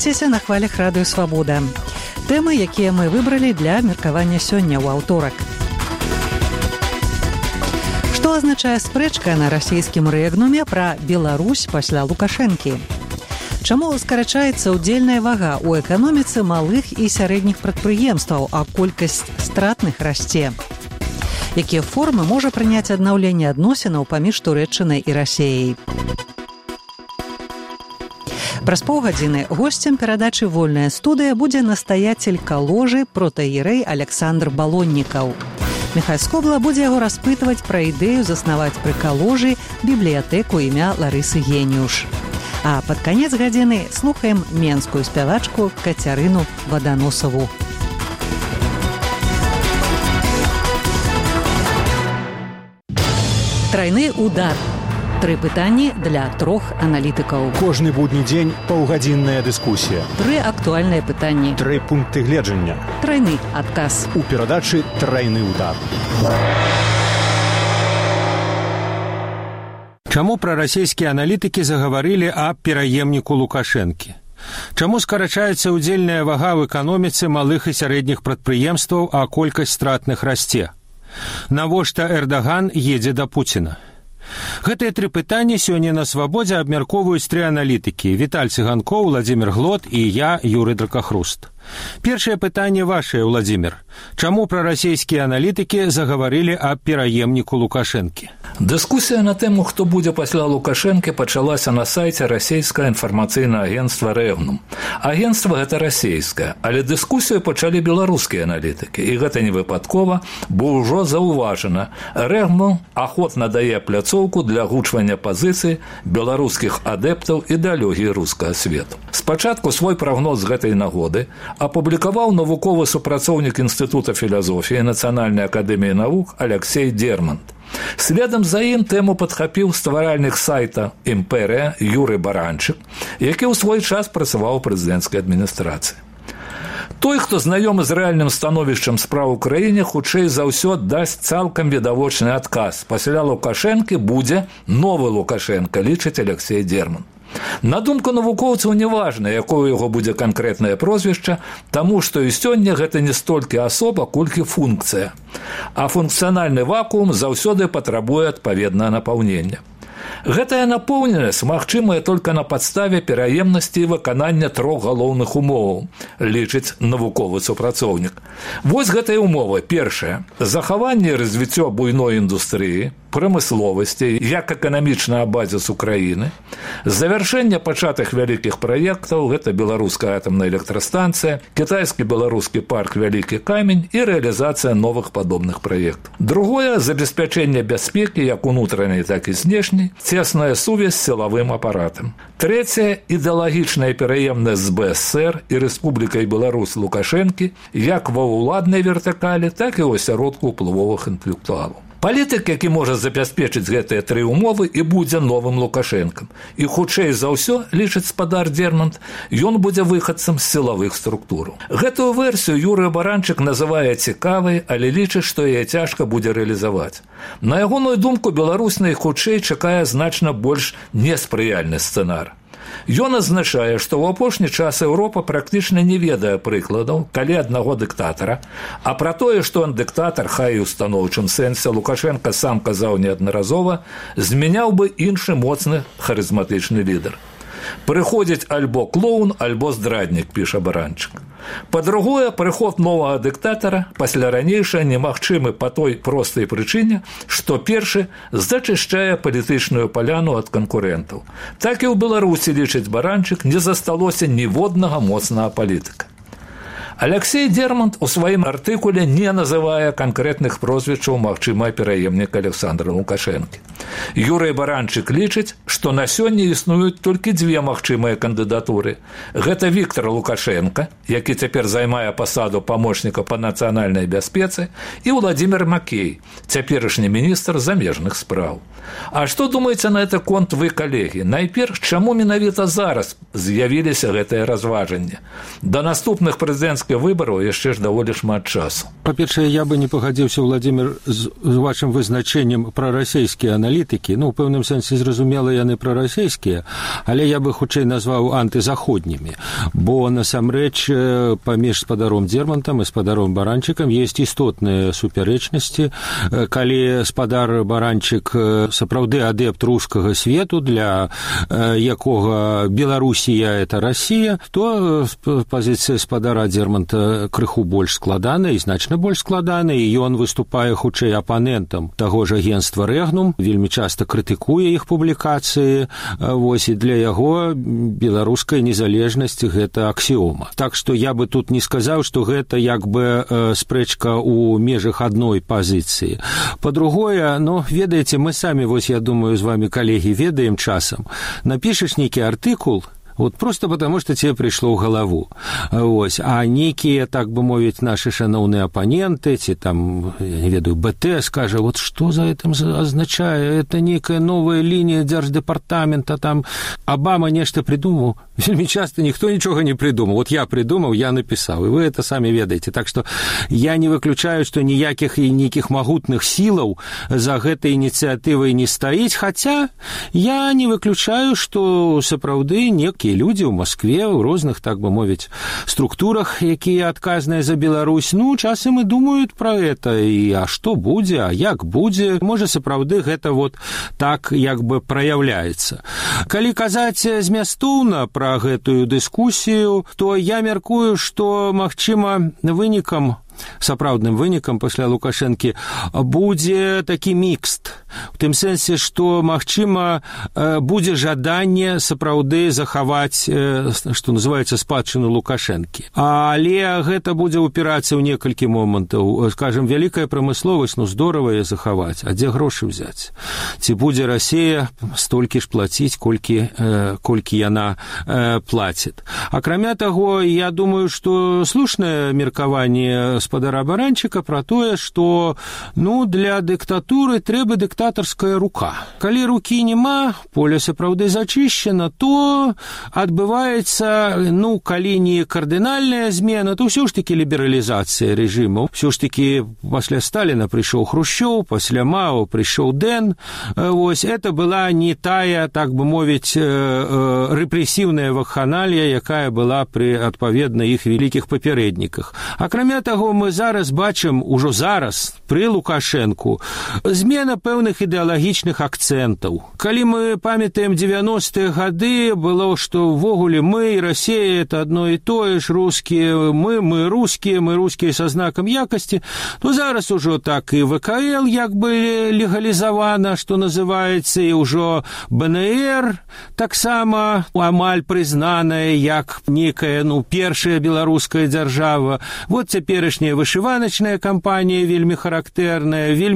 Рухайцеся на хвалях Радыё Свабода. Тэмы, якія мы выбралі для меркавання сёння ў аўторак. Што азначае спрэчка на расійскім рэгнуме пра Беларусь пасля Лукашэнкі? Чаму скарачаецца ўдзельная вага ў эканоміцы малых і сярэдніх прадпрыемстваў, а колькасць стратных расце? Якія формы можа прыняць аднаўленне адносінаў паміж Турэччынай і Расіяй? Праз паўгадзіны госцем перадачы «Вольная студыя» будзе настаяцель каложы протаіерэй Александр Балоннікаў. Міхай Скобла будзе яго распытваць пра ідэю заснаваць пры каложы бібліятэку імя Ларысы Геніуш. А пад канец гадзіны слухаем менскую спявачку Кацярыну Ваданосаву. Трайны удар. 3 пытанні для 3 аналітыкаў. Кожны будні дзень паўгадзінная дыскусія. 3 актуальныя пытанні. 3 пункты гледжання. Трайны адказ. У перадачы «Трайны удар». Чаму прарасійскія аналітыкі загаварылі аб пераемніку Лукашэнкі? Чаму скарачаецца ўдзельная вага ў эканоміцы малых і сярэдніх прадпрыемстваў, а колькасць стратных расце? Навошта Эрдаган едзе да Пуціна? Гэтыя 3 пытанні сёння на Свабодзе абмяркоўваюць 3 аналітыкі: Віталь Цыганкоў, Владзімир Глот і я, Юрый Дракахруст. Першае пытанне вашае, Владзімир. Чаму прарасійскія аналітыкі загаварылі аб пераемніку Лукашэнкі? Дыскусія на тэму, хто будзе пасля Лукашэнкі, пачалася на сайце расійскае інфармацыйнае агенцтва «Рэгнум». Агенцтва гэта расійскае, але дыскусію пачалі беларускія аналітыкі. І гэта не выпадкова, бо ўжо заўважана. «Рэгнум» ахвотна дае пляцоўку для агучвання пазіцый беларускіх адэптаў ідэалогіі рускага свету. Спачатку свой прагноз з гэтай нагоды апублікаваў навуковы супрацоўнік Інстытута філазофіі Нацыянальнай акадэміі навук Алексей Дермант. Следам за ім тэму падхапіў стваральнік сайта «Імперія» Юрый Баранчык, які ў свой час працаваў у прэзідэнцкай адміністрацыі. Той, хто знаёмы з рэальным становішчам спраў у краіне, хутчэй за ўсё дасць цалкам відавочны адказ. Пасля Лукашэнкі будзе новы Лукашэнка, лічыць Алексей Дермант. На думку навукоўцаў, неважна, якое яго будзе канкрэтнае прозвішча, таму што і сёння гэта не столькі асоба, колькі функцыя. А функцыянальны вакуум заўсёды патрабуе адпаведнае напаўнення. Гэтая напоўненасць магчымая толькі на падставе пераемнасці і выканання 3 галоўных умоваў, лічыць навуковы супрацоўнік. Вось гэтыя умовы. Першае – захаванне і развіццё буйной індустрыі, прамысловасці, як эканамічная базіс Украіны, завяршэнне пачатых вялікіх праектаў, гэта беларуская атамная электрастанцыя, кітайскі-беларускі парк «Вялікі камень» і рэалізацыя новых падобных праектаў. Другое – забеспячэнне бяспекі як унутранай, так і знешняй, цесная сувязь з сілавым апаратам. Трэцяе – ідэалагічная пераемнасць з БСР і Рэспублікай Беларусь Лукашэнкі як ва ўладнай вертыкалі, так і ў асяродку ўплывовых інтэлектуалаў. Палітык, які можа забяспечыць гэтыя 3 умовы, і будзе новым Лукашэнкам. І хутчэй за ўсё, лічыць спадар Дермант, ён будзе выхадцам з сілавых структураў. Гэтую версію Юрый Баранчык называе цікавай, але лічыць, што яе цяжка будзе рэалізаваць. На ягоную думку, Беларусь найхутчэй чакае значна больш неспрыяльны сцэнар. Ён азначае, што ў апошні час Еўропа практычна не ведае прыкладаў, калі аднаго дыктатара, а пра тое, што ён дыктатар, хай і ў станоўчым сэнсе, Лукашэнка сам казаў неаднаразова, змяняў бы іншы моцны харызматычны лідар. Прыходзіць альбо клоун, альбо здраднік, піша Баранчык. Па-другое, прыход новага дыктатара пасля ранейшага немагчымы па той простай прычыне, што першы зачышчае палітычную паляну ад канкурэнтаў. Так і ў Беларусі, лічыць Баранчык, не засталося ніводнага моцнага палітыка. Алексей Дермант у сваім артыкуле не называе канкрэтных прозвішчаў магчымага пераемніка Александра Лукашэнкі. Юрый Баранчык лічыць, што на сёння існуюць толькі 2 магчымыя кандыдатуры. Гэта Віктор Лукашэнка, які цяпер займае пасаду памочніка па нацыянальнай бяспецы, і Владзімир Макей, цяперашні міністр замежных спраў. А што думаеце на гэты конт вы, калегі? Найперш, чаму менавіта зараз з'явіліся гэтыя разважанні? Да наступных прэзідэнцкіх выбараў яшчэ ж даволі шмат часу. Па-першае, я бы не пагадзіўся, Владимир, з вашым вызначэннем прарасійскія аналітыкі. Ну, у пэўным сэнсе, зразумела, яны прарасійскія, але я бы хутчэй назваў антызаходнімі, бо насамрэч паміж спадаром Дзермантам і спадаром Баранчыкам ёсць істотныя супярэчнасці. Калі спадар Баранчык сапраўды адэпт рускага свету, для якога Беларусія – это Россия, то пазіцыя спадара Дзерманта крыху больш складаная і значна больш складаная, і ён выступае хутчэй апанентам таго ж агенцтва Рэгнум, вельмі часта крытыкуе іх публікацыі, вось, і для яго беларуская незалежнасць – гэта аксіома. Так што я бы тут не сказаў, што гэта як бы спрэчка ў межах адной пазіцыі. Па-другое, ну, ведаеце, мы самі, вось, я думаю, з вами, калегі, ведаем часам, напішаш нейкі артыкул, вот просто потому, что тебе пришло в голову. Вось. А некие, так бы мовить, наши шановные оппоненты, эти там, я не ведаю, БТ, скажет, вот что за этим означает? Это некая новая линия Держдепартамента, там Обама нечто придумал. Вельми часто никто ничего не придумал. Вот я придумал, я написал, и вы это сами ведаете. Так что я не выключаю, что никаких и неких могутных силов за этой инициативой не стоит, хотя я не выключаю, что сапраўды некие люди в Москве, в розных, так бы мовить, структурах, якія адказныя за Беларусь, ну, часам и думают про это, и а что будзе, а як будзе, можа, сапраўды гэта вот так, як бы, праяўляецца. Калі казаць змястоўна пра гэтую дыскусію, то я мяркую, што, магчыма, вынікам, сапраўдным вынікам пасля Лукашэнкі будзе такі мікст. У тым сэнсе, што, магчыма, будзе жаданне сапраўды захаваць, што называецца, спадчыну Лукашэнкі. Але гэта будзе упірацца ў некалькі момантаў. Скажем, вялікая прамысловасць, ну, здорава яе захаваць. А дзе грошы взяць? Ці будзе Расія столькі ж плаціць, колькі яна плаціць? Акрамя таго, я думаю, што слушнае меркаванне спадара Баранчыка про тое, што, ну, для дыктатуры трэба дыктатарская рука. Калі рукі нема, поле сапраўды зачышчана, то адбываецца, ну, калі не кардынальная змена, то ўсё ж такі лібералізацыя рэжыму. Ўсё ж такі пасля Сталіна прыйшоў Хрушчоў, пасля Мао прыйшоў Дэн. Вось, это была не тая, так бы мовіць, рэпрэсіўная вакханалія, якая была пры, адпаведна, іх вялікіх папярэдніках. Акрамя таго, мы зараз бачым, ужо зараз, пры Лукашэнку, змена пэўных ідэалагічных акцэнтаў. Калі мы памятаем 90-е гады, было, што ўвогуле мы і Расія – это одно і тое ж, рускія, мы рускія са знакам якасці, то зараз ужо так і ВКЛ як бы легалізавана, што называецца, і ўжо БНР таксама амаль прызнаная як некая, ну, першая беларуская дзяржава. Вот цяперашняя вышываначная кампанія вельмі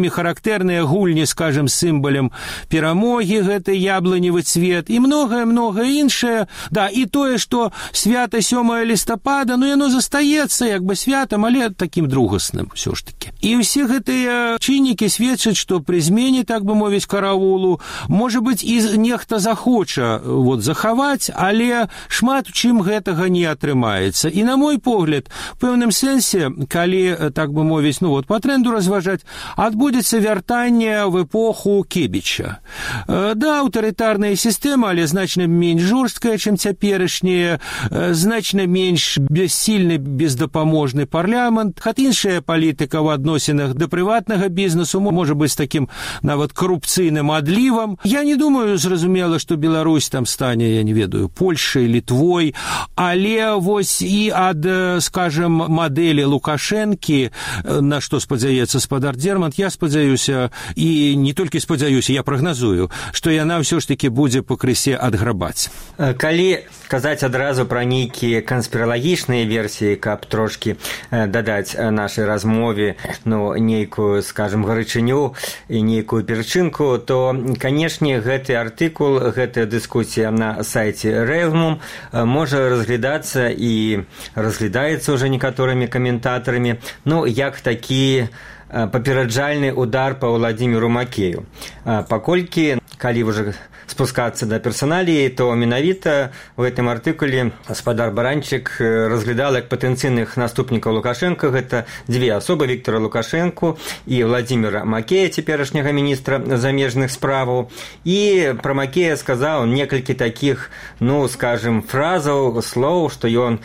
характэрныя гульні, скажем, сімвалем перамогі, гэты яблоневы цвет, і многае іншае. Да, і тое, што свята 7 лістапада, ну, яно застаецца як бы святам, але такім другасным ўсё ж такі. І ўсе гэтыя чыннікі сведчаць, што пры змене, так бы мовіць, караулу, можа быць, і нехта захоча вот захаваць, але шмат у чым гэтага не атрымаецца. І, на мой погляд, в пэўным сэнсе, калі, так бы мовіць, ну вот по тренду разважаць, адбудзецца вяртанне в эпоху Кебіча. Да, аўтарытарная сістэма, але значна менш жорсткая, чым цяперашняя, значна менш бессільны, бездапаможны парламент, хат іншая палітыка ў адносінах да прыватнага бізнесу можа быць такім нават карупцыйным адлівам. Я не думаю, зразумела, што Беларусь там стане, я не ведаю, Польшай, Літвой, але вось і ад, скажем, мадэлі Лукашэнкі, на што спадзяецца спадар Дзермант, я спадзяюся, і не толькі спадзяюся, я прагназую, што яна ўсё ж такі будзе пакрысе адграбаць. Калі казаць адразу пра нейкія канспіралагічныя версіі, каб трошкі дадаць нашай размове, ну, нейкую, скажем, гарачыню і нейкую перчынку, то, канешне, гэты артыкул, гэтая дыскусія на сайце Рэгнум можа разглядацца і разглядаецца ўжо некаторымі каментатарамі інвестарамі, ну, як такі папераджальны удар па Владзіміру Макею. Паколькі, калі ўжо спускацца да персаналіі, то менавіта ў гэтым артыкуле гаспадар Баранчык разглядал як патэнцыйных наступнікаў Лукашенка. Гэта дзве асобы: Віктора Лукашенку і Владзіміра Макея, цяперашняга міністра замежных справаў. І пра Макея сказаў некалькі такіх, ну, скажем, фразаў, слоў, што ён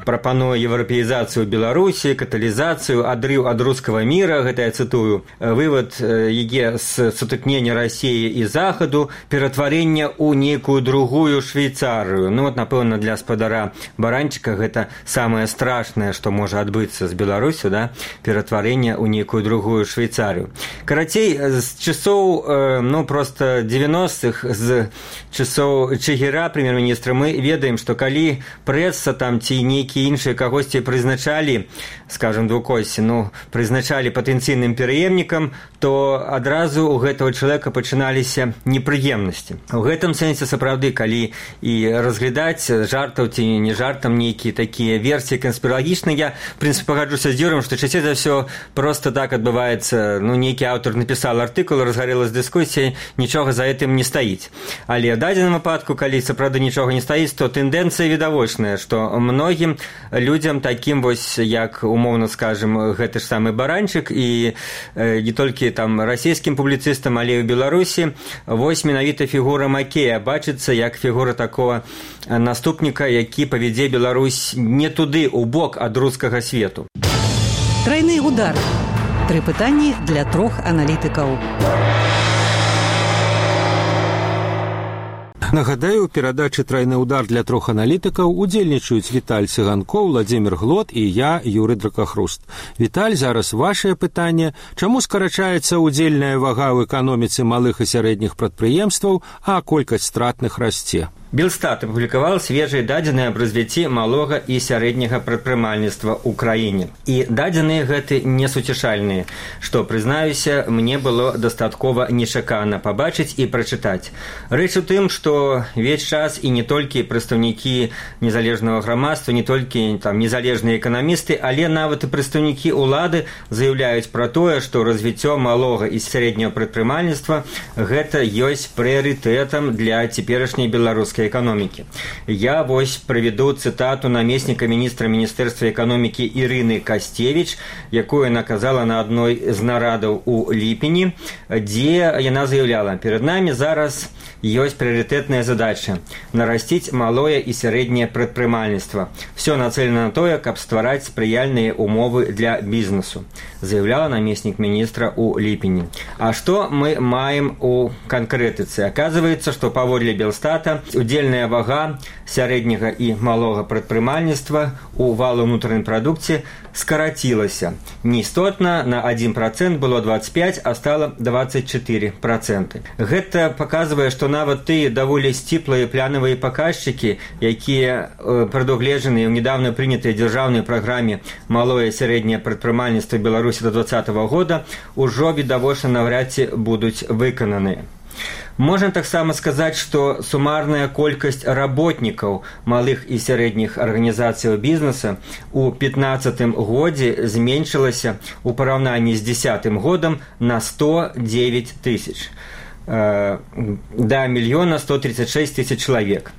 прапануе еўрапеізацыю Беларусі, каталізацыю, адрыў ад рускага міра, гэта я цытую, вывод ЕГЭ з сутыкнення Расіі і Захаду, ператварэння ў нейкую другую Швейцарыю. Ну, вот, напэўна, для гаспадара Баранчыка гэта самае страшнае, што можа адбыцца з Беларусю, да? Ператварэнне ў нейкую другую Швейцарыю. Карацей, з часоў, ну, просто 90-х, з часоў Чигира, прэм'ер-міністра, мы ведаем, што калі прэса там ці нейкія іншыя кагосьці прызначалі, скажем, двукосці, ну, прызначалі патэнцыйным пераемнікам, то адразу у гэтага чалавека пачыналіся непрыемнасці. У гэтым сэнсе сапраўды, калі і разглядаць жартаў ці не жартам нейкія такія версіі канспіралагічныя, я, в прынцыпе, пагаджуся з Юрым, што часцей за ўсё просто так адбываецца, ну, нейкі аўтар напісаў артыкул, разгарэлась дыскусія, нічога за гэтым не стаіць. Але ў дадзеным выпадку, калі сапраўды нічога не стаіць, то тэндэнцыя відавочная, што многім людзям такім вось, як умоўна скажем, гэты ж самы Баранчык і не толькі там расійскім публіцыстам, але і ў Беларусі, вось менавіта фігура Макея бачыцца як фігура такого наступніка, які павядзе Беларусь не туды, у бок ад рускага свету. Трайны удар. 3 пытанні для 3 аналітыкаў. Нагадаю, у перадачы «Трайны удар» для 3 аналітыкаў удзельнічаюць Віталь Цыганкоў, Владзімір Глот і я, Юры Дракахруст. Віталь, зараз вашае пытанне. Чаму скарачаецца удзельная вага ў эканоміцы малых і сярэдніх прадпрыемстваў, а колькасць стратных расце? Белстат апублікаваў свежыя дадзеныя аб развіцці малога і сярэдняга прадпрымальніцтва ў краіне. І дадзеныя гэты несуцішальныя, што, прызнаюся, мне было дастаткова нечакана пабачыць і прачытаць. Рэч у тым, што ўвесь час і не толькі прадстаўнікі незалежнага грамадства, не толькі там незалежныя эканамісты, але нават і прадстаўнікі ўлады заяўляюць пра тое, што развіццё малога і сярэдняга прадпрымальніцтва гэта ёсць прыярытэтам для цяперашняй беларускай эканомікі. Я вось прыведу цытату намесніка міністра Міністэрства эканомікі Ірыны Касцевіч, якую яна казала на адной з нарадаў у ліпені, дзе яна заяўляла: «Перад намі зараз ёсць прыярытэтная задача – нарасціць малое і сярэдняе прадпрымальніцтва. Всё нацелена на тое, каб ствараць спрыяльныя умовы для бізнесу», заяўляла намеснік міністра ў ліпені. А што мы маем у канкрэтыцы? Аказваецца, што паводле Белстата удзельная вага сярэдняга і малога прадпрымальніцтва у валу ўнутранай прадукцыі скарацілася. Неістотна на 1% было 25%, а стала 24%. Гэта паказвае, што нават тыя даволі сціплыя планавыя паказчыкі, якія прадугледжаны ў нядаўна прынятай дзяржаўнай праграме «Малое і сярэдняе прадпрымальніцтва Беларусі да 2020 года», ужо відавочна наўрад ці будуць выкананыя. Можна таксама сказаць, што сумарная колькасць работнікаў малых і сярэдніх арганізацыяў бізнеса ў 2015 годзе зменшылася ў параўнанні з 2010 годам на 109 тысяч. Да 1 136 000 чалавек.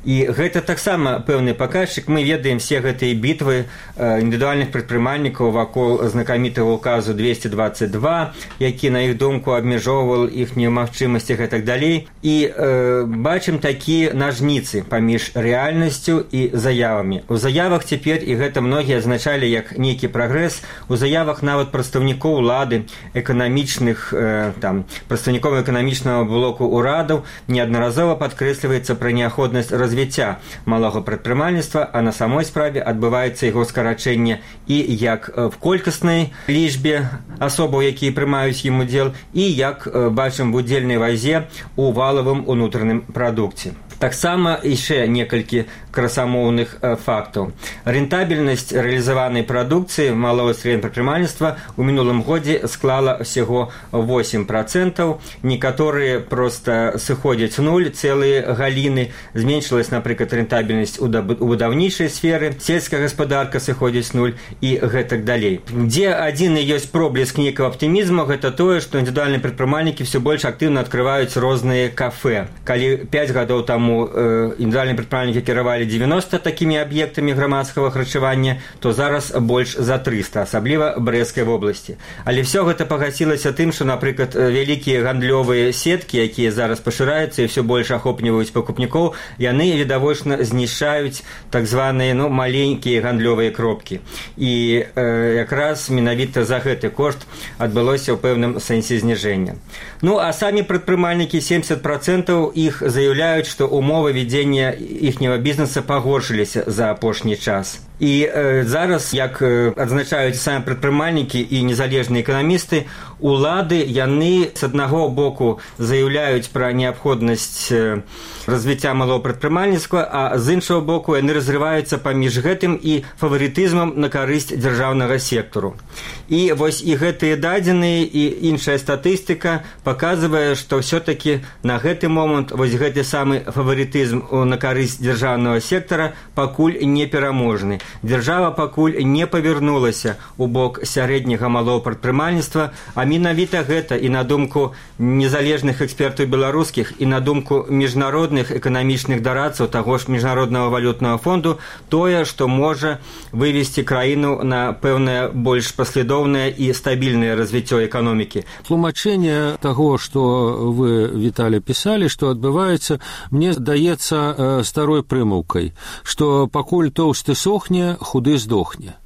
І гэта таксама пэўны паказчык. Мы ведаем все гэтыя бітвы індывідуальных прадпрымальнікаў вакол знакамітага указу 222, які, на іх думку, абмяжоўваў іхнюю магчымасць і гэтак далей. І бачым такія нажніцы паміж рэальнасцю і заявамі. У заявах цяпер, і гэта многія азначалі як нейкі прагрэс, у заявах нават прадстаўнікоў улады, эканамічных, прадстаўнікоў эканамічнага блоку ўрадаў неаднаразова падкрэсліваецца пра неабходнасць развіцця малога прадпрымальніцтва, а на самой справе адбываецца яго скарачэнне і як в колькаснай лічбе асобаў, якія прымаюць ім удзел, і як бачым в удзельнай вазе ў валавым унутраным прадукце. Таксама яшчэ некалькі красамоўных фактаў. Рентабельнасць рэалізаванай прадукцыі малого і сярэдняга прадпрымальніцтва ў мінулым годзе склала ўсяго 8%. Некаторыя проста сыходзяць у нуль, цэлыя галіны. Зменшылась, напрыклад, рентабельнасць у будаўнічай сферы, сельская гаспадарка сыходзіць нуль і гэтак далей. Дзе адзіны ёсць проблеск нейкага аптымізму, гэта тое, што індывідуальныя прадпрымальнікі все больш актыўна адкрываюць розныя кафе. Калі 5 гадоў таму індывідуальныя прадпрымальнікі кіравалі 90 такімі аб'ектамі грамадскага харчавання, то зараз больш за 300, асабліва Брэсцкай вобласці. Але все гэта пагасілася тым, што, напрыклад, вялікія гандлёвыя сеткі, якія зараз пашыраюцца і все больш ахопліваюць пакупнікоў, яны відавочна знішчаюць так званыя маленькія гандлёвыя кропкі. І якраз менавіта за гэты кошт адбылося ў пэўным сэнсе зніжэння. А самі прадпрымальнікі 70% іх заяўляюць, што ўмовы вядзення іхняга бізнеса пагоршыліся за апошні час. І зараз, як адзначаюць самі прадпрымальнікі і незалежныя эканамісты, улады, яны з аднаго боку заяўляюць пра неабходнасць развіцця малого прадпрымальніцтва, а з іншого боку яны разрываюцца паміж гэтым і фаварытызмам на карысць дзяржаўнага сектару. І вось і гэтыя дадзеныя і іншая статыстыка паказвае, што ўсё-такі на гэты момант вось гэты самы фаварытызм на карысць дзяржаўнага сектара пакуль не пераможны. Дзяржава пакуль не павярнулася ў бок сярэдняга малого прадпрымальніцтва, а менавіта гэта і на думку незалежных экспертаў беларускіх, і на думку міжнародных эканамічных дарадцаў таго ж міжнароднага валютнага фонду, тое, што можа вывесці краіну на пэўнае больш паслядоўнае і стабільнае развіццё эканомікі. Тлумачэнне таго, што вы, Віталій, пісалі, што адбываецца, мне здаецца старой прымаўкай, што пакуль тоўсты сохне, худы здохне.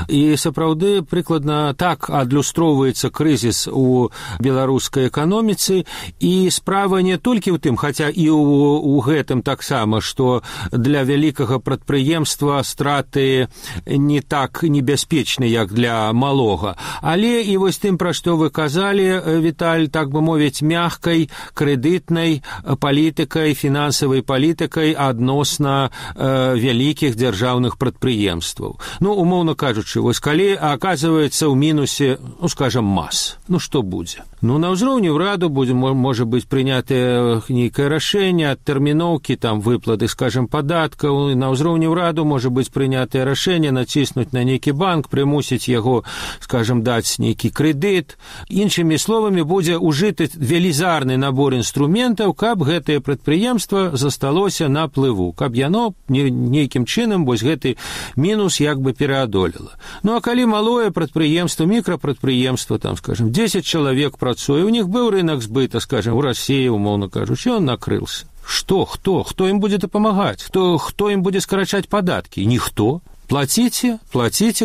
І сапраўды прыкладна так адлюстроўваецца крызіс у беларускай эканоміцы, і справа не толькі ў тым, хаця і ў гэтым таксама, што для вялікага прадпрыемства страты не так небяспечны, як для малога, але і вось тым, пра што вы казалі, Віталь, так бы мовіць, мягкай крэдытнай палітыкай, фінансавай палітыкай адносна вялікіх дзяржаўных прадпрыемстваў. Умоўна кажучы, вось калі аказваецца ў мінусе, скажам, мас, што будзе? На ўзроўні ўраду будзе, можа быць, прынятае нейкае рашэнне, адтэрміноўкі, выплаты, скажам, падаткаў, на ўзроўні ўраду можа быць прынятае рашэнне націснуць на нейкі банк, прымусіць яго, скажам, даць нейкі крэдыт. Іншымі словамі, будзе ўжыты велізарны набор інструментаў, каб гэтае прадпрыемства засталося на плыву, каб яно нейкім чынам вось гэты мінус як бы пераадолела. А калі малое прадпрыемства, мікрапрадпрыемства, скажам, 10 чалавек працуе, у них быў рынок збыта, скажем, у России, умоўна кажучи, он накрылся. Что? Кто им будет помогать? Кто им будет скарачаць падаткі? Ніхто. Платите,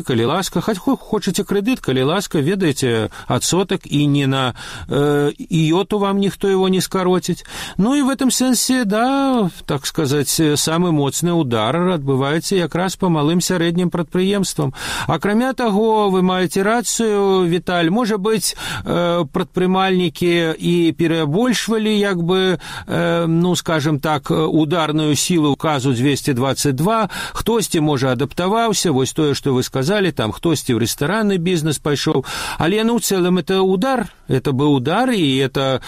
калі ласка, хоть хочете кредит, калі ласка, ведаете адсоток, и не на иоту вам никто его не скоротить. И в этом сенсе, да, так сказать, самый моцны удар адбываецца якраз по малым сярэднім прадпрыемствам. Акрамя таго, вы маеце рацыю, Віталь, можа быць, прадпрымальнікі і перабольшвалі, як бы, скажем так, ударную силу указу 222, хтосьці можа адаптаваць, вось тое, што вы сказалі, хтосьці ў рэстаранны бізнес пайшоў, але ў цэлым это удар, это быў удар, і это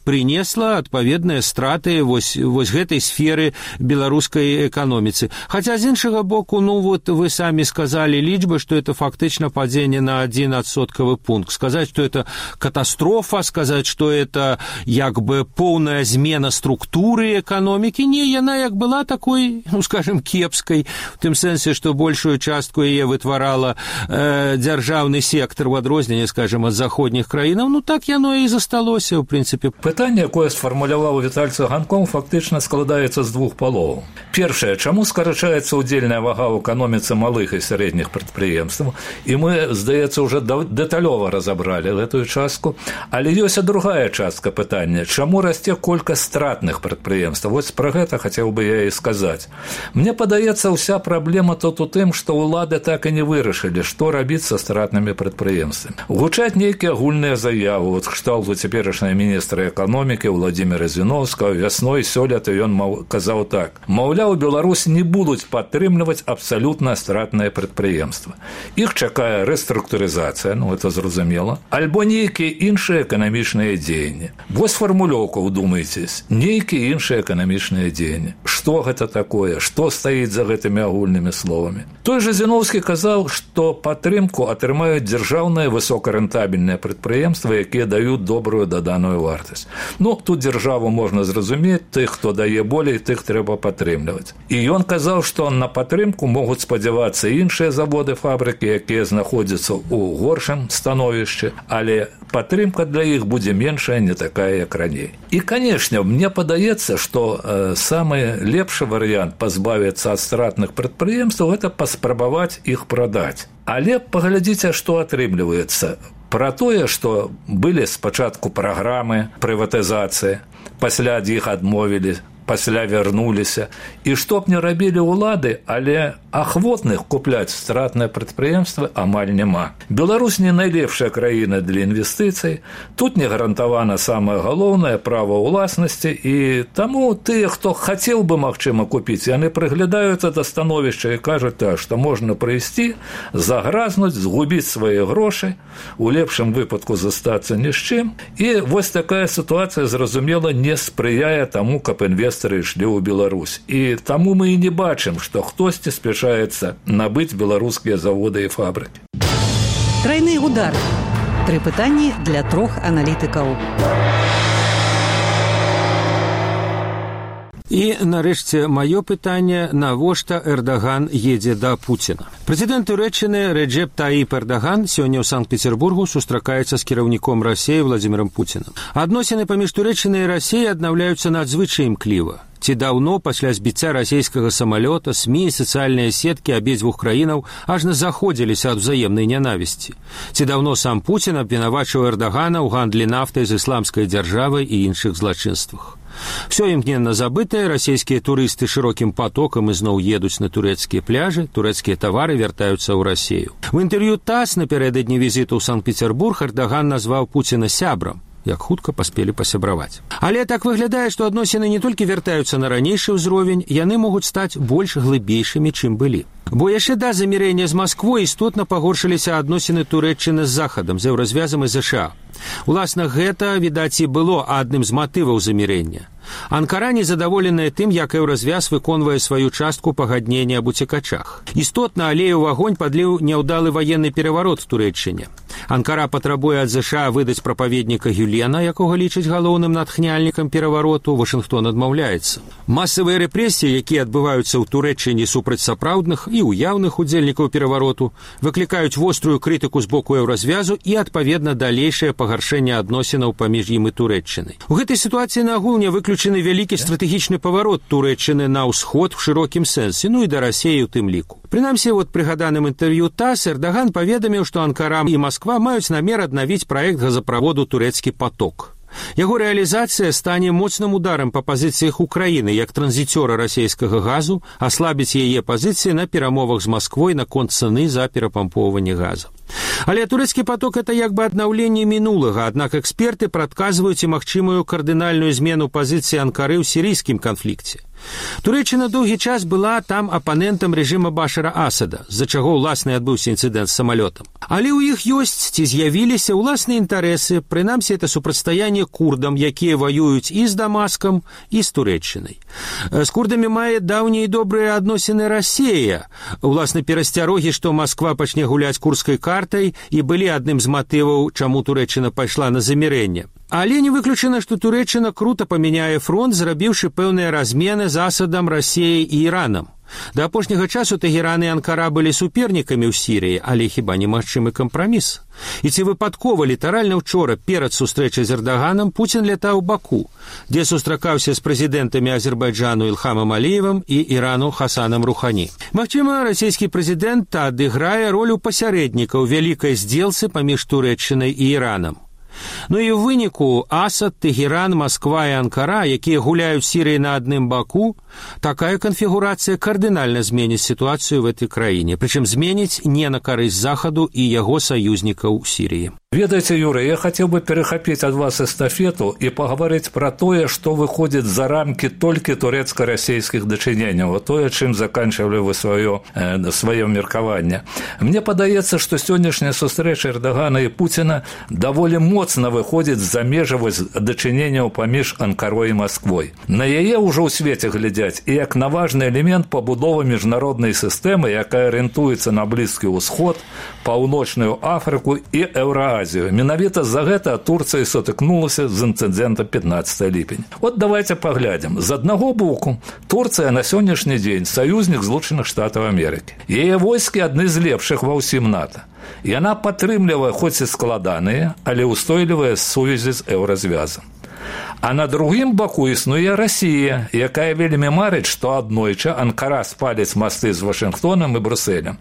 принесла адпаведныя страты вось гэтай сферы беларускай эканоміцы. Хаця з іншага боку, вот вы самі сказалі лічбы, што это фактычна падзенне на 1 адсоткавы пункт. Сказаць, што это катастрофа, сказаць, што это як бы поўная змена структуры эканомікі, не, яна як была такой, скажем, кепскай, в тым сэнсе, што большую частку яе вытварала дзяржаўны сектар у адрозненне, скажем, ад заходніх краінаў, так яно і засталося, у прынцыпе. Пытанне, якое сфармуляваў Віталь Цыганкоў, фактычна складаецца з двух палоў. Першае, чаму скарачаецца удзельная вага ў эканоміцы малых і сярэдніх прадпрыемстваў, і мы, здаецца, уже дэталёва разабралі гэтую частку, але ёсць і другая частка пытання, чаму расце колькасць стратных прадпрыемстваў. Вось пра гэта хацеў бы я і сказаць. Мне падаецца, ўся праблема тут у тым, што ўлады так і не вырашылі, што рабіць са стратнымі прадпрыемствамі. Гучаць нейкія агульныя заявы, от кшталту цяперашняга міністра эканомікі Владзіміра Зіновскага. Вясной сёлета ён казаў так: маўляў, Беларусь не будуць падтрымліваць абсалютна стратныя прадпрыемствы. Іх чакае рэструктурызацыя, это зразумела, альбо нейкія іншыя эканамічныя дзеянні. Вось фармулёўка, удумайцесь, нейкія іншыя эканамічныя дзеянні. Што гэта такое? Што стаіць за гэтымі агульнымі словамі? Той жа Зіновскі казаў, што падтрымку атрымаюць дзяржаўныя высокарэнтабельныя прадпрыемствы, якія даюць добрую даданую вартасць. Тут дзяржаву можна зразумець, тых, хто дае болей, тых трэба падтрымліваць. І ён казаў, што на падтрымку могуць спадзявацца іншыя заводы, фабрыкі, якія знаходзяцца ў горшым становішчы, але падтрымка для іх будзе меншая, не такая, як раней. І, канешне, мне падаецца, што самы лепшы варыянт пазбавіцца ад стратных прадпрыемстваў – гэта паспрабаваць іх прадаць. Але паглядзіце, што атрымліваецца. Пра тое, што былі спачатку праграмы прыватызацыі, пасля ад іх адмовілі, пасля вярнуліся. І што б не рабілі ўлады, але ахвотных купляць стратныя прадпрыемствы амаль няма. Беларусь не найлепшая краіна для інвестыцый, тут не гарантавана самае галоўнае права ўласнасці, і таму тыя, хто хацеў бы, магчыма, купіць, яны прыглядаюцца да становішча і кажуць так, што можна прыйсці, загразнуць, згубіць свае грошы, у лепшым выпадку застацца ні з чым. І вось такая сітуацыя, зразумела, не спрыяе таму, каб інвестары ішлі ў Беларусь. І таму мы і не бачым, што хтосьці спешаецца набыць беларускія заводы і фабрыкі. Трайны удар. 3 пытанні для 3 аналітыкаў. І, нарэшце, маё пытанне, навошта Эрдаган едзе да Пуціна? Прэзідэнт Турэччыны Реджеп Таіп Эрдаган сёння ў Санкт-Петербургу сустракаецца з кіраўніком Расіі Владзімірам Пуцінам. Адносіны паміж Турэччынай і Расіяй аднаўляюцца надзвычай імкліва. Ці даўно пасля збіцця расійскага самалёта СМІ і сацыяльныя сеткі абедзвюх краінаў ажна заходзіліся ад узаемнай нянавісці. Ці даўно сам Пуцін абвінавачыў Эрдагана ў гандлі нафтай з ісламскай дзяржавай і іншых злачынствах. Всё імгненна забытае, расійскія турысты шырокім потокам ізноў едуць на турэцкія пляжы, турэцкія тавары вяртаюцца ў Расію. У інтэрв'ю ТАСС напярэдадні візіту ў Санкт-Петербург Эрдаган назваў Пуціна сябрам, як хутка паспелі пасябраваць. Але так выглядае, што адносіны не толькі вяртаюцца на ранейшы ўзровень, яны могуць стаць больш глыбейшымі, чым былі. Бо яшчэ да замірэння з Масквой істотна пагоршыліся адносіны Турэччыны з Захадам, з еўразвязам і ЗША. Уласна, гэта, відаць, і было адным з матываў замірэння. Анкара незадаволеная тым, як еўразвяз выконвае сваю частку пагаднення аб уцекачах. Істотна алею ў агонь падліў няўдалы ваенны пераварот у Турэччыне. Анкара патрабуе ад ЗША выдаць прапаведніка Гюлена, якога лічыць галоўным натхняльнікам перавароту, Вашынгтон адмаўляецца. Масавыя рэпрэсіі, якія адбываюцца ў Турэччыне супраць сапраўдных і уяўных удзельнікаў перавароту, выклікаюць вострую крытыку з боку еўразвязу і, адпаведна, далейшае пагаршэнне адносінаў паміж ім і Турэччынай. У гэтай сітуацыі на агул не выключаны вялікі стратэгічны паварот Турэччыны на ўсход у шырокім сэнсе, і да Расіі ў тым ліку. Прынамсі, от прыгаданым інтэрв'ю ТАСС Эрдаган паведаміў, што Анкара і Масква маюць намер аднавіць праект газаправоду «Турэцкі поток». Яго рэалізацыя стане моцным ударам па пазіцыях Украіны як транзіцёра расійскага газу, аслабіць яе пазіцыі на перамовах з Масквой наконт цэны за перапампоўванне газа. Але турэцкі поток – это як бы аднаўленне мінулага, аднак эксперты прадказваюць і магчымую кардынальную змену пазіцыі Анкары ў сірыйскім канфлікце. Турэччына доўгі час была там апанентам рэжыма Башара Асада, з-за чаго ўласна адбыўся інцыдэнт з самалётам. Але ў іх ёсць ці з'явіліся ўласныя інтарэсы, прынамсі это супрацьстаянне курдам, якія ваююць і з Дамаскам, і з Турэччынай. З курдамі мае даўнія і добрыя адносіны Расія. Уласна, перасцярогі, што Масква пачне гуляць курдскай картай, і былі адным з матываў, чаму Турэччына пайшла на замірэнне. Але не выключана, што Турэччына крута памяняе фронт, зрабіўшы пэўныя размены з Асадам, Расіяй і Іранам. Да апошняга часу Тэгеран і Анкара былі супернікамі ў Сірыі, але хіба немагчымы кампраміс? І ці выпадкова літаральна ўчора перад сустрэчай з Эрдаганам Пуцін лятаў у Баку, дзе сустракаўся з прэзідэнтамі Азербайджану Ілхамам Аліевым і Ірану Хасанам Рухані. Магчыма, расійскі прэзідэнт адыграе ролю пасярэдніка ў вялікай здзелцы паміж Турэччынай і Іранам. Ну і ў выніку Асад, Тегеран, Москва і Анкара, якія гуляюць Сірыі на адным баку, такая канфігурацыя кардынальна зменіць сітуацыю в этой краіне, прычым зменіць не на карысць Захаду і яго саюзнікаў у Сірыі. Ведаеце, Юрий, я хотел бы перехопить от вас эстафету и поговорить про то, что выходит за рамки только турецко-российских дочинений, вот то, чем заканчивали вы свое меркование. Мне подается, что сегодняшняя встреча Эрдогана и Путина довольно моцно выходит за межи дочинения поміж Анкарой и Москвой. На яе уже у свете глядять и как на важный элемент побудовы международной системы, якая ориентуется на Близкий Усход, Паўночную Африку и Евразию. Менавіта за гэта Турцыя сутыкнулася з інцыдэнтам 15 ліпеня. Вот давайте паглядзім. З аднаго боку, Турцыя на сённяшні дзень саюзнік Злучаных Штатаў Амерыкі. Яе войскі адны з лепшых ва ўсім НАТО. Яна падтрымлівае хоць і складаныя, але ўстойлівыя сувязі з еўразвязам. А на другім баку існуе Расія, якая вельмі марыць, што аднойчы Анкара спаліць масты з Вашынгтонам і Брусэлем.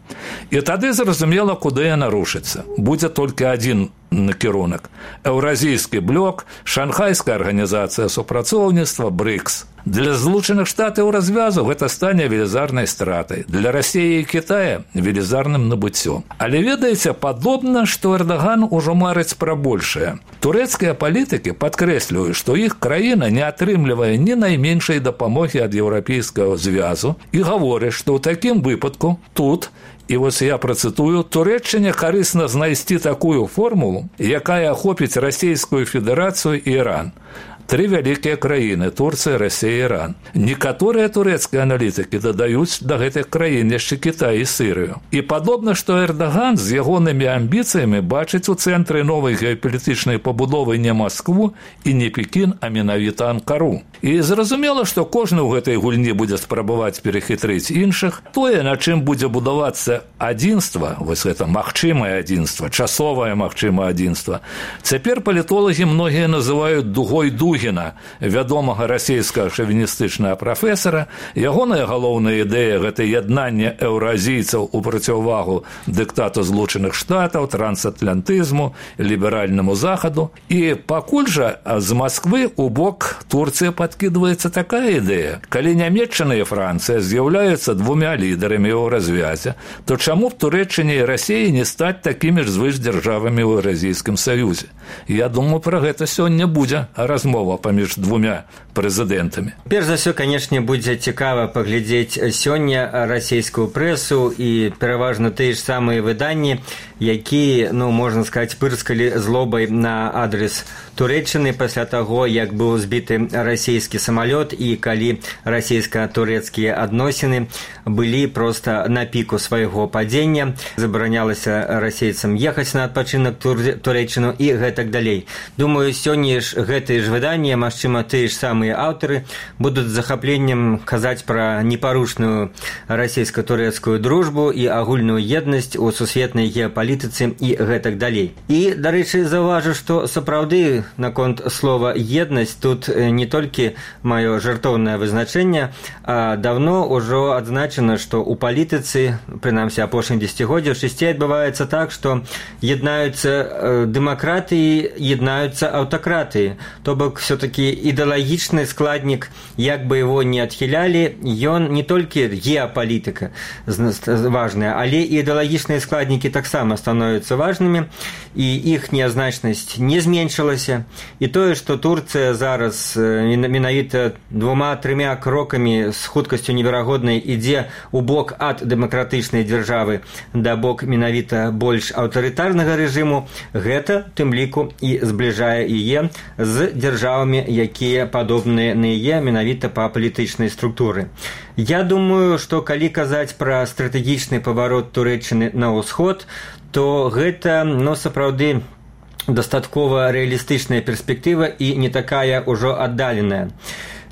І тады зразумела, куды яна рушыцца. Будзе толькі адзін накірунак. Еўразійскі блок, Шанхайская арганізацыя супрацоўніцтва, БРИКС. Для Злучаных Штатаў развязу гэта стане велізарнай стратай. Для Расіі і Китая – велізарным набыццём. Але ведаеце, падобна, што Эрдоган ужо марыць пра большае. Турэцкія палітыкі падкрэсліваюць, што іх краіна не атрымлівае ні найменшай дапамогі ад Еўрапейскага звязу і гаворыць, што ў такім выпадку тут, і вось я працытую, Турэччыне карысна знайсці такую формулу, якая ахопіць Расійскую Федэрацыю і Іран. Три вялікія краіны – Турцыя, Расія і Іран. Некаторыя турэцкія аналітыкі дадаюць да гэтых краін яшчэ Кітай і Сірыю. І падобна, што Эрдоган з ягонымі амбіцыямі бачыць у цэнтры новай геапалітычнай пабудовы не Маскву і не Пекін, а менавіта Анкару. І зразумела, што кожны ў гэтай гульні будзе спрабаваць перахітрыць іншых. Тое, на чым будзе будавацца адзінства, вось гэта магчымае адзінства, часовае магчымае адзінства, цяпер палітолагі многія называюць дугой Дугіна, вядомага расійскага шавіністычнага прафесара. Ягоная галоўная ідэя – гэта яднанне еўразійцаў у процівагу дыктату Злучаных Штатаў, трансатлантызму, ліберальнаму захаду. І пакуль жа з Масквы у бок Турцыі подкидывается такая ідэя. Калі Нямецчына і Францыя з'яўляюцца двумя лідарамі ў развязе, то чаму б Турэччыне і Расіі не стаць такімі ж звышдзяржавамі ў Еўразійскім саюзе? Я думаю, пра гэта сёння будзе размова паміж двумя прэзідэнтамі. Перш за ўсё, канешне, будзе цікава паглядзець сёння расійскую прэсу і пераважна тыя ж самыя выданні, якія, можна сказаць, пырскалі злобай на адрес Турэччыны пасля таго, як быў збіты расійскі самалёт і калі расійска-турэцкія адносіны былі проста на піку свайго падзення, забаранялася расейцам ехаць на адпачынак Турэччыну і гэтак далей. Думаю, сёння ж гэтыя ж выданні, магчыма, тыя ж самыя аўтары будуць з захапленнем казаць пра непарушную расійска-турэцкую дружбу і агульную еднасць у сусветнай геапалітыцы і гэтак далей. І, дарэчы, заўважу, што сапраўды наконт слова «еднасць» тут не толькі маё жартоўнае вызначэнне, а давно ўжо адзначана, што ў палітыцы, прынамсі апошніх дзесяцігоддзяў, часцей адбываецца так, што яднаюцца дэмакратыі, яднаюцца аўтакратыі. То бок, все-таки ідэалагічны складнік, як бы его не адхілялі, ён не толькі геапалітыка важная, але і ідэалагічныя складнікі таксама становяцца важнымі, і іх неазначнасць не зменшылася. І тое, што Турцыя зараз менавіта 2-3 крокамі з хуткасцю неверагоднай ідзе ў бок ад дэмакратычнай дзяржавы да бок менавіта больш аўтарытарнага рэжыму, гэта тым ліку і збліжае яе з дзяржавамі, якія падобныя на яе менавіта па палітычнай структуры. Я думаю, што калі казаць пра стратэгічны паварот Турэччыны на ўсход, то гэта, сапраўды, дастаткова рэалістычная перспектыва і не такая ўжо аддаленая.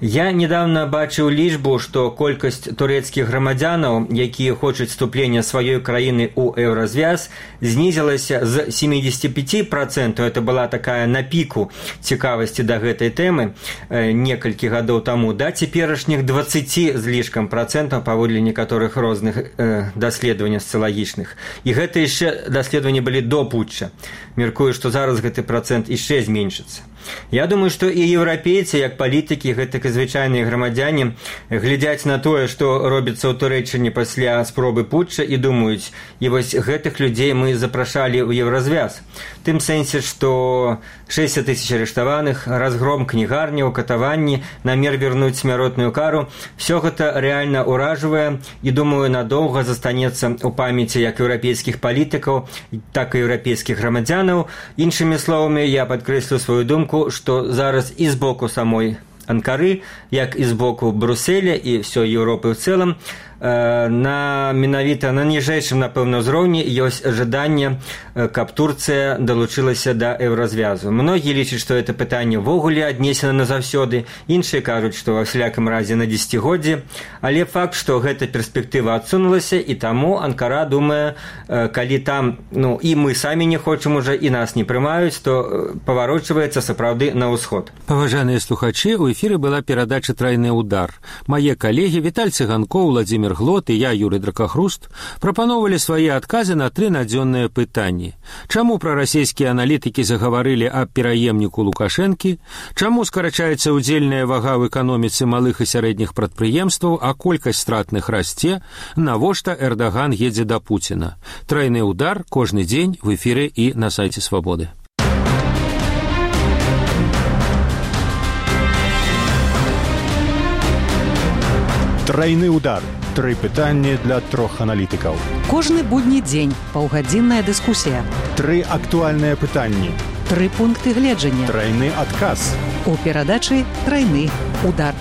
Я недавно бачыў лічбу, што колькасць турэцкіх грамадзянаў, якія хочуць вступлення сваёй краіны ў еўразвяз, знізілася з 75%, это была такая на піку цікавасці да гэтай тэмы некалькі гадоў таму, да цяперашніх 20 з лішкам процентаў паводле некаторых розных даследаванняў сацыялагічных. І гэта яшчэ даследаванні былі до путча. Меркую, што зараз гэты процент яшчэ зменшыцца. Я думаю, што і еўрапейцы, як палітыкі, гэтак і звычайныя грамадзяне, глядзяць на тое, што робіцца ў Турэччыне пасля спробы путча і думаюць, і вось гэтых людзей мы запрашалі ў еўразвяз. В тым сэнсе, што 60 тысяч арыштаваных, разгром кнігарняў, катаванні, намер вернуць смяротную кару, все гэта рэальна ўражвае і, думаю, надоўга застанецца ў памяці як еўрапейскіх палітыкаў, так і еўрапейскіх грамадзянаў. Іншымі словамі, я падкрэслю сваю думку, што зараз і з боку самой Анкары, як і з боку Брюсселя і ўсёй Еўропы ў цэлым, менавіта на ніжэйшым, напэўна, ўзроўні ёсць жаданне, каб Турцыя далучылася да еўразвязу. Многія лічаць, што гэта пытанне ўвогуле аднесена назаўсёды, іншыя кажуць, што ва всякім разе на дзесяцігоддзе, але факт, што гэта перспектыва адсунулася, і таму Анкара думае, калі там, і мы самі не хочам уже, і нас не прымаюць, то паварочваецца сапраўды на ўсход. Паважаныя слухачы, у эфіры была перадача «Трайны удар». Мае калегі Віталь Цыганкоў, Владзімір Глот і я, Юрый Дракахруст, прапановалі свае адказы на 3 надзённыя пытанні. Чаму прарасійскія аналітыкі загаварылі аб пераемніку Лукашэнкі? Чаму скарачаецца ўдзельная вага ў эканоміцы малых і сярэдніх прадпрыемстваў, а колькасць стратных расце? Навошта Эрдаган едзе да Пуціна? «Трайны удар» кожны дзень в эфіры і на сайце Свабоды. Трайны удар. 3 пытанні для 3 аналітыкаў. Кожны будні дзень паўгадзінная дыскусія. 3 актуальныя пытанні. 3 пункты гледжання. Трайны адказ. У перадачы «Трайны удар».